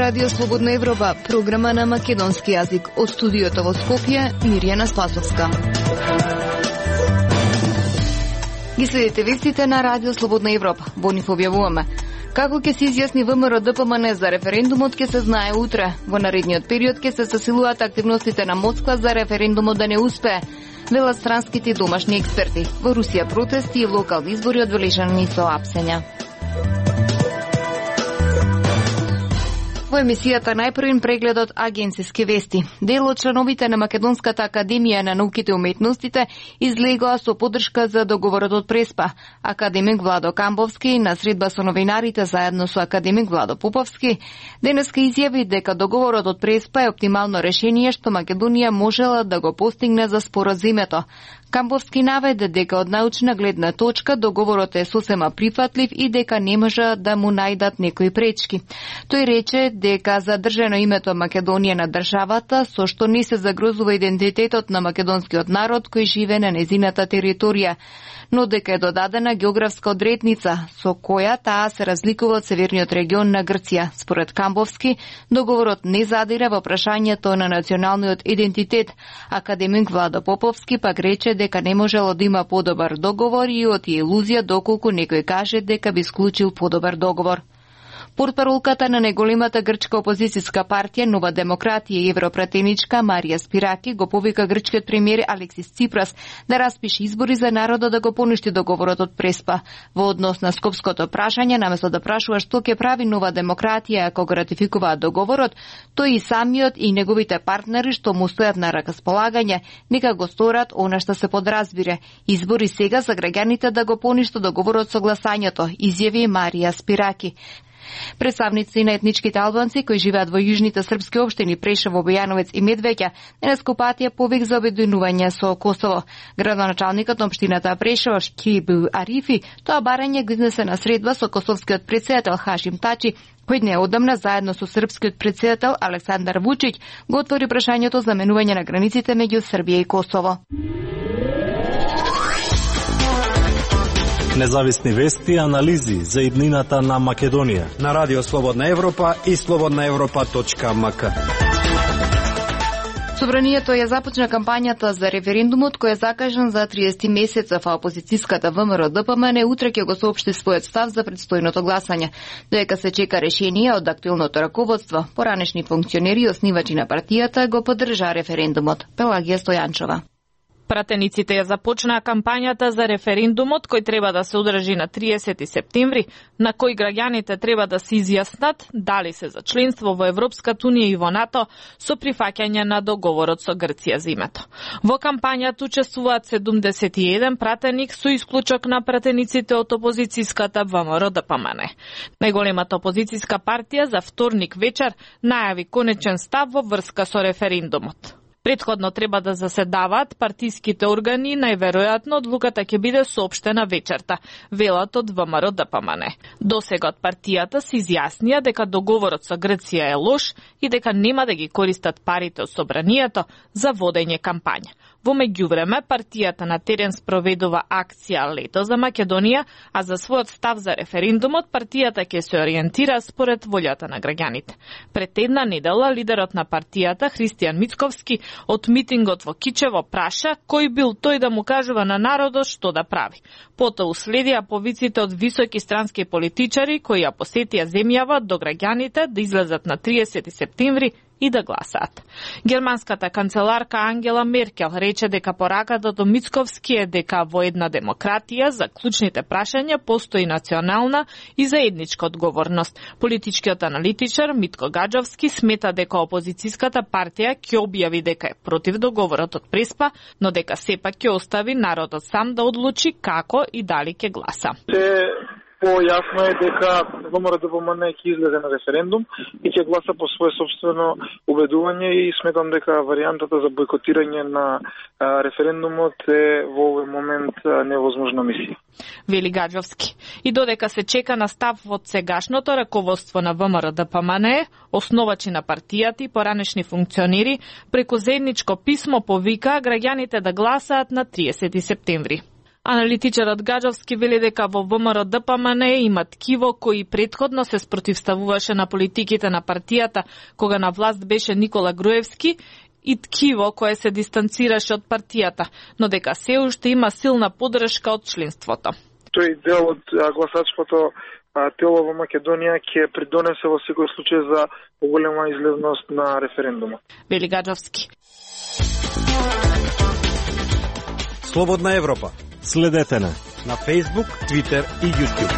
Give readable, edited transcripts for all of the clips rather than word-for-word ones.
Радио Слободна Европа, програма на македонски јазик. Од студиото во Скопје, Мирјана Спасовска. Ги следите вестите на Радио Слободна Европа. Во нив објавуваме: како ќе се изјасни ВМРО ДПМН за референдумот ќе се знае утре. Во наредниот период ќе се засилуваат активностите на Москва за референдумот да не успее, велат странските и домашни експерти. Во Русија протести и локални избори одбележани со апсења. Во емисијата најпрвин прегледот агенциски вести. Дел од членовите на Македонската академија на науките и уметностите излегоа со поддршка за договорот од Преспа. Академик Владо Камбовски на средба со новинарите заедно со академик Владо Поповски денеска изјави дека договорот од Преспа е оптимално решение што Македонија можела да го постигне за споразумето. Камбовски наведе дека од научна гледна точка договорот е сосема прифатлив и дека не може да му најдат некои пречки. Тој рече дека задржано името Македонија на државата, со што не се загрозува идентитетот на македонскиот народ кој живее на незината територија, но дека е додадена географска одредница со која таа се разликува од северниот регион на Грција. Според Камбовски, договорот не задира во прашањето на националниот идентитет. Академик Владо Поповски пак рече дека не можело да има подобар договор и од илузија доколку некој каже дека би склучил подобар договор. Портпаролката на најголемата грчка опозицијска партија Нова демократија и европратеничка Марија Спираки го повика грчкиот премиер Алексис Ципрас да распише избори за народот да го поништи договорот од Преспа. Во однос на скопското прашање, наместо да прашува што ќе прави Нова демократија ако го ратификуваат договорот, тој и самиот и неговите партнери што му стојат на располагање, нека го сторат она што се подразбира. Избори сега за граѓаните да го поништи договорот со гласањето, изјави Марија Спираки. Представници на етничките албанци кои живеат во јужните српски општини Прешево, Бојановец и Медвеќа денеска упатија повик за обединување со Косово. Градоначалникот на општината Прешево Шкиб Арифи тоа барање го изнесе на средба со косовскиот претседател Хашим Тачи, кој неодамна заедно со српскиот претседател Александар Вучиќ го отвори прашањето за менување на границите меѓу Србија и Косово. Независни вести и анализи за иднината на Македонија на Радио Слободна Европа и slobodnaevropa.mk. Собранието ја започна кампањата за референдумот кој е закажан за 30 месецов, а опозицијската ВМРО ДПМН утре ќе го соопшти својот став за предстојното гласање. Доека се чека решение од актуелното раководство, поранешни функционери и оснивачи на партијата го поддржаа референдумот. Пелагија Стојанчова. Пратениците ја започнаа кампањата за референдумот кој треба да се одржи на 30 септември, на кој граѓаните треба да се изјаснат дали се за членство во Европската унија и во НАТО со прифаќање на договорот со Грција за името. Во кампањата учествуваат 71 пратеник со исклучок на пратениците од опозицијската ВМРО ДПМН. Најголемата опозицијска партија за вторник вечер најави конечен став во врска со референдумот. Претходно треба да заседаваат партиските органи, најверојатно одлуката ќе биде соопштена вечерта, велат од ВМРО ДПМН. Досега од партијата се изјаснија дека договорот со Грција е лош и дека нема да ги користат парите од собранието за водење кампања. Во меѓувреме, партијата на терен спроведува акција Лето за Македонија, а за својот став за референдумот партијата ќе се ориентира според волјата на граѓаните. Пред една недела лидерот на партијата Христијан Мицковски од митингот во Кичево праша кој бил тој да му кажува на народот што да прави. Потоа уследија повиците од високи странски политичари кои ја посетија земјава до граѓаните да излезат на 30 септември и да гласаат. Германската канцеларка Ангела Меркел рече дека пораката до Мицковски е дека во една демократија за клучните прашања постои национална и заедничка одговорност. Политичкиот аналитичар Митко Гаджовски смета дека опозицијската партија ќе објави дека е против договорот од Преспа, но дека сепак ќе остави народот сам да одлучи како и дали ќе гласа. Појасно е дека ВМРО ДПМН ќе излезе на референдум и ќе гласа по свое собствено убедување и сметам дека варијантата за бойкотирање на референдумот е во овој момент невозможна мисија. Вели Гаджовски. И додека се чека на став од сегашното раководство на ВМРО ДПМН, основачи на партијата и поранешни функционери преку заедничко писмо повика граѓаните да гласаат на 30 септември. Аналитичарот Гаджовски вели дека во ВМРО-ДПМН има ткиво кои претходно се спротивставуваше на политиките на партијата кога на власт беше Никола Груевски и ткиво кое се дистанцираше од партијата, но дека се уште има силна поддршка од членството. Тој дел од гласачкото тело во Македонија ќе придонесе во секој случај за поголема излезност на референдумот. Вели Гаджовски. Слободна Европа. Следете на Facebook, Twitter и YouTube.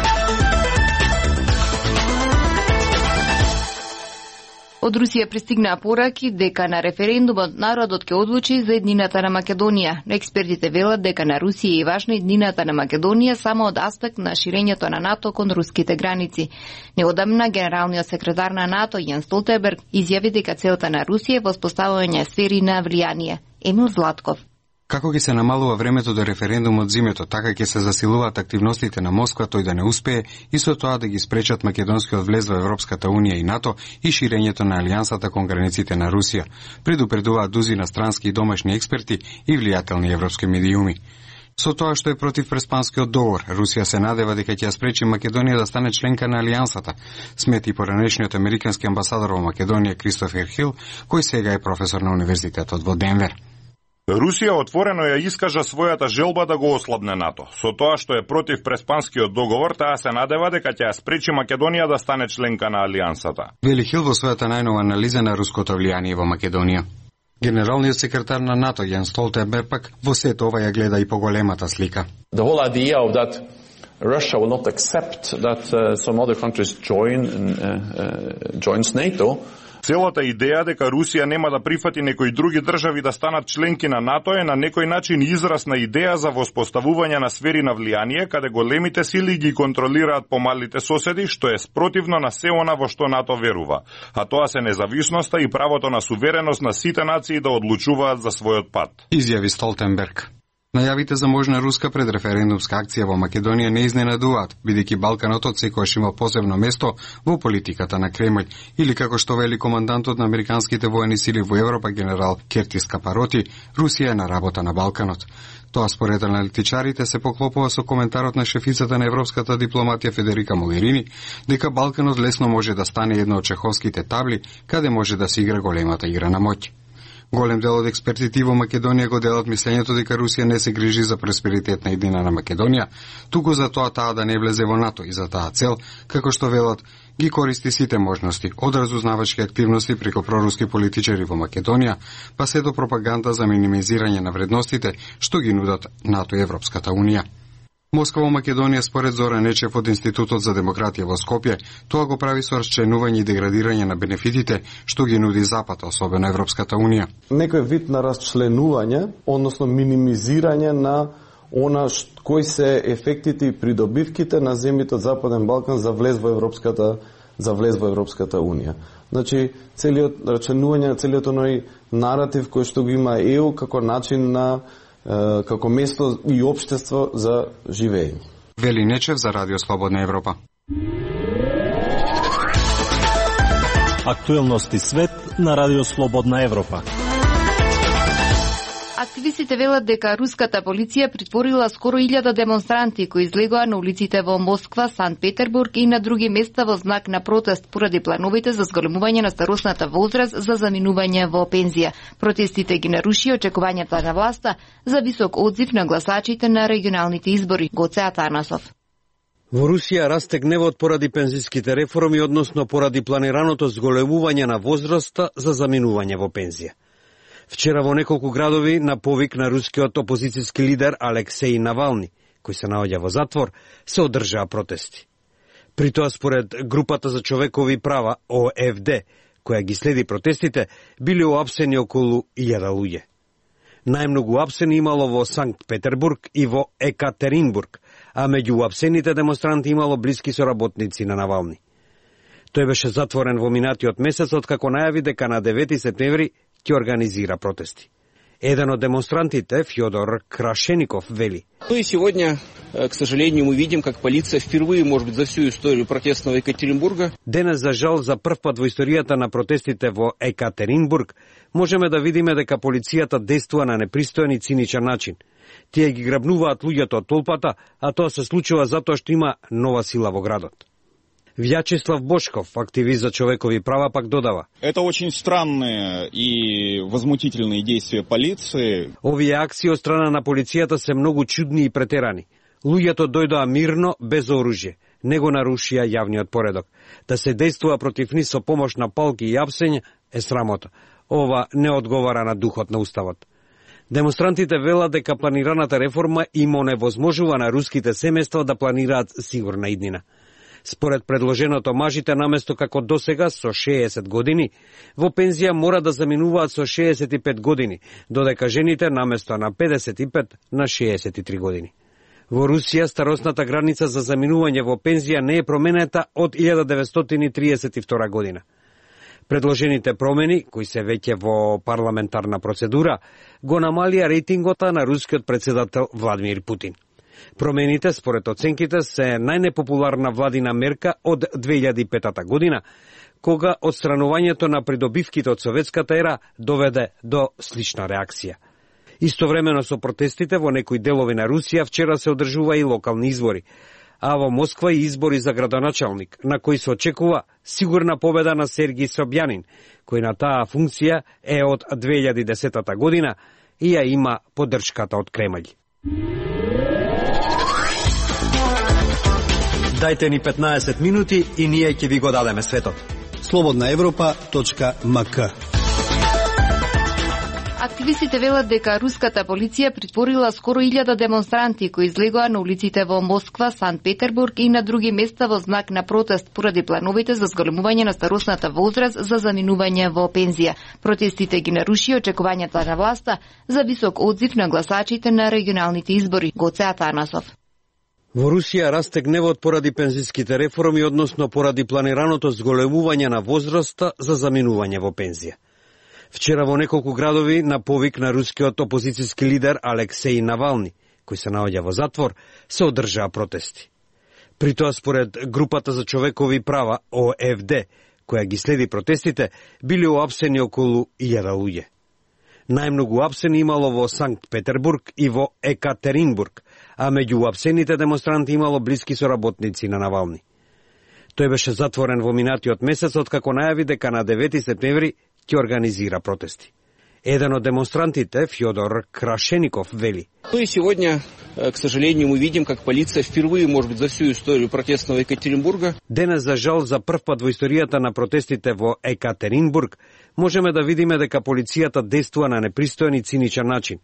Од Русија пристигнаа пораки дека на референдумот народот ќе одлучи за еднината на Македонија. Експертите велат дека на Русија е важна еднината на Македонија само од аспект на ширењето на НАТО кон руските граници. Неодамна генералниот секретар на НАТО Јен Столтенберг изјави дека целта на Русија е воспоставување сфери на влијание. Емил Златков. Како ќе се намалува времето до референдумот зимето, така ќе се засилуваат активностите на Москва тој да не успее и со тоа да ги спречат македонскиот влез во Европската Унија и НАТО и ширењето на алијансата кон границите на Русија, предупредуваат дузина странски и домашни експерти и влијателни европски медиуми. Со тоа што е против Преспанскиот договор, Русија се надева дека ќе ја спречи Македонија да стане членка на алијансата, смети поранешниот американски амбасадор во Македонија Кристофер Хил, кој сега е професор на универзитетот во Денвер. Русија отворено ја искажа својата желба да го ослабне НАТО. Со тоа што е против Преспанскиот договор, таа се надева дека ќе ја спречи Македонија да стане членка на алијансата. Вели Хил во својата најнова анализа на руското влијание во Македонија. Генералниот секретар на НАТО Јен Столтенберг пак во сето ова ја гледа и поголемата слика. The whole idea of that Russia will not accept that some other countries joins NATO. Целата идеја дека Русија нема да прифати некои други држави да станат членки на НАТО е на некој начин израз на идеја за воспоставување на сфери на влијание каде големите сили ги контролираат помалите соседи, што е спротивно на се она во што НАТО верува. А тоа се независноста и правото на сувереност на сите нации да одлучуваат за својот пат. Изјави Столтенберг. Најавите за можна руска предреферендумска акција во Македонија не изненадуваат, бидејќи Балканот секогаш имал посебно место во политиката на Кремљ, или како што вели командантот на американските воени сили во Европа генерал Кертис Капароти, Русија е на работа на Балканот. Тоа според аналитичарите се поклопува со коментарот на шефицата на европската дипломатија Федерика Могерини, дека Балканот лесно може да стане една од чеховските табли, каде може да се игра големата игра на моќ. Голем дел од експертите во Македонија го делат мислењето дека Русија не се грижи за просперитет на еднина на Македонија, туку за тоа таа да не влезе во НАТО и за таа цел, како што велат, ги користи сите можности, од разузнавачки активности преку проруски политичари во Македонија, па се до пропаганда за минимизирање на вредностите што ги нудат НАТО и Европската Унија. Москва во Македонија според Зоран Нечев од Институтот за демократија во Скопје, тоа го прави со расчленување и деградирање на бенефитите што ги нуди Запад, особено Европската Унија. Некој вид на расчленување, односно минимизирање на она кои се ефектите и придобивките на земјите од Западен Балкан за влез во Европската Унија. Значи, целиот расчленување на целиот оној наратив кој што го има ЕУ како начин на како место и општество за живење. Вели Нечев за Радио Слободна Европа. Актуелности свет на Радио Слободна Европа. Активистите велат дека руската полиција притворила скоро 1000 демонстранти кои излегоа на улиците во Москва, Санкт Петербург и на други места во знак на протест поради плановите за зголемување на старосната возраст за заминување во пензија. Протестите ги наруши очекувањата на власта за висок одзив на гласачите на регионалните избори. Гоце Атанасов. Во Русија расте гневот поради пензиските реформи, односно поради планираното зголемување на возраста за заминување во пензија. Вчера во неколку градови на повик на рускиот опозицијски лидер Алексеј Навални, кој се наоѓа во затвор, се одржаа протести. При тоа според групата за човекови права ОФД, која ги следи протестите, биле уапсени околу 1000 луѓе. Најмногу апсени имало во Санкт Петербург и во Екатеринбург, а меѓу уапсените демонстранти имало блиски соработници на Навални. Тој беше затворен во минатиот месец, откако најави дека на 9 септември ќе организира протести. Еден од демонстрантите, Фјодор Крашеников, вели: Ну и сегодня, к сожалению, мы видим, как полиция впервые, может быть, за всю историю протестного Екатеринбурга. Денес, за жал, за прв пат во историјата на протестите во Екатеринбург, можеме да видиме дека полицијата действува на непристоен и циничен начин. Тие ги грабнуваат луѓето од толпата, а тоа се случува затоа што има нова сила во градот. Вјачеслав Бошков, активист за човекови права, пак додава: Это очень странные и возмутительные действия полиции. Овие акции од страна на полицијата се многу чудни и претерани. Луѓето дојдоа мирно, без оружје. Не го нарушија јавниот поредок. Да се действува против нив со помош на палки и апсење е срамота. Ова не одговара на духот на уставот. Демонстрантите велат дека планираната реформа им оневозможува на руските семејства да планираат сигурна иднина. Според предложеното, мажите наместо како досега со 60 години, во пензија мора да заминуваат со 65 години, додека жените наместо на 55 на 63 години. Во Русија старосната граница за заминување во пензија не е променета од 1932 година. Предложените промени, кои се веќе во парламентарна процедура, го намалија рейтингота на рускиот председател Владимир Путин. Промените, според оценките, се најнепопуларна владина мерка од 2005 година, кога отстранувањето на придобивките од советската ера доведе до слична реакција. Истовремено со протестите во некои делови на Русија вчера се одржува и локални избори, а во Москва и избори за градоначалник, на кои се очекува сигурна победа на Сергиј Собјанин, кој на таа функција е од 2010 година и ја има поддршката од Кремљ. Дајте ни 15 минути и ние ќе ви го дадеме светот. Slobodnaevropa.mk. Активистите велат дека руската полиција притворила скоро 1000 демонстранти кои излегоа на улиците во Москва, Санкт Петербург и на други места во знак на протест поради плановите за зголемување на старосната возраст за заминување во пензија. Протестите ги наруши очекувањата на власта за висок одзив на гласачите на регионалните избори. Гоце Атанасов. Во Русија расте гневот поради пензиските реформи, односно поради планираното зголемување на возраста за заминување во пензија. Вчера во неколку градови на повик на рускиот опозицијски лидер Алексеј Навални, кој се наоѓа во затвор, се одржаа протести. При тоа, според групата за човекови права ОФД, која ги следи протестите, били уапсени околу 1000 луѓе. Најмногу апсени имало во Санкт Петербург и во Екатеринбург, а меѓу уапсените демонстранти имало блиски соработници на Навални. Тој беше затворен во минатиот месец, откако најави дека на 9 септември ќе организира протести. Еден од демонстрантите, Фјодор Крашеников, вели: Ну и сегодня, к сожалению, мы видим, как полиция впервые, может быть, за всю историю протестного Екатеринбурга. Денес, за жал, за прв пат во историјата на протестите во Екатеринбург, можеме да видиме дека полицијата действува на непристоен и циничен начин.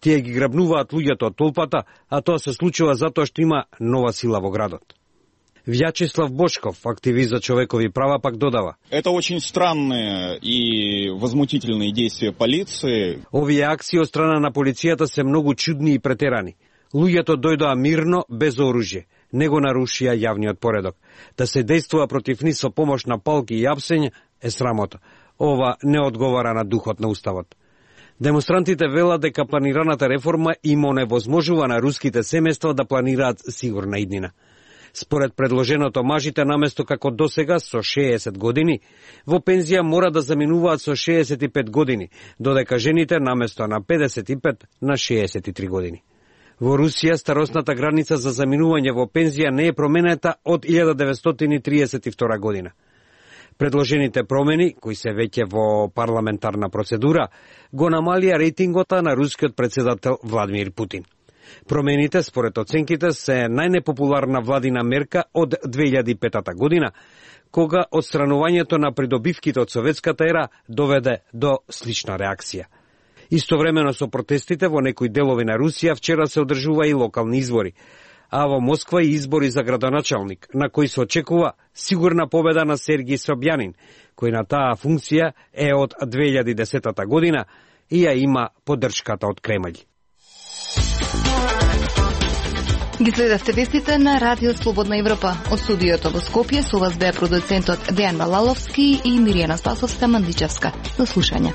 Тие ги грабнуваат луѓето од толпата, а тоа се случува затоа што има нова сила во градот. Вјачеслав Бошков, активист за човекови права, пак додава: Это очень странные и возмутительные действия полиции. Овие акции од страна на полицијата се многу чудни и претерани. Луѓето дојдоа мирно, без оружје. Не го нарушија јавниот поредок. Да се действува против нив со помош на палки и апсење е срамота. Ова не одговара на духот на уставот. Демонстрантите велат дека планираната реформа им оневозможува на руските семејства да планираат сигурна иднина. Според предложеното, мажите наместо како досега со 60 години, во пензија мора да заминуваат со 65 години, додека жените наместо на 55 на 63 години. Во Русија старосната граница за заминување во пензија не е променета од 1932 година. Предложените промени, кои се веќе во парламентарна процедура, го намалија рейтингота на рускиот председател Владимир Путин. Промените, според оценките, се најнепопуларна владина мерка од 2005 година, кога отстранувањето на придобивките од советската ера доведе до слична реакција. Истовремено со протестите во некои делови на Русија вчера се одржува и локални избори, а во Москва и избори за градоначалник, на кои се очекува сигурна победа на Сергиј Собјанин, кој на таа функција е од 2010 година и ја има поддршката од Кремљ. Ги следевте вестите на Радио Слободна Европа. Од студиото во Скопје со вас беа продуцентот Дејан Балаловски и Миријана Спасовска Мандичевска. До слушање.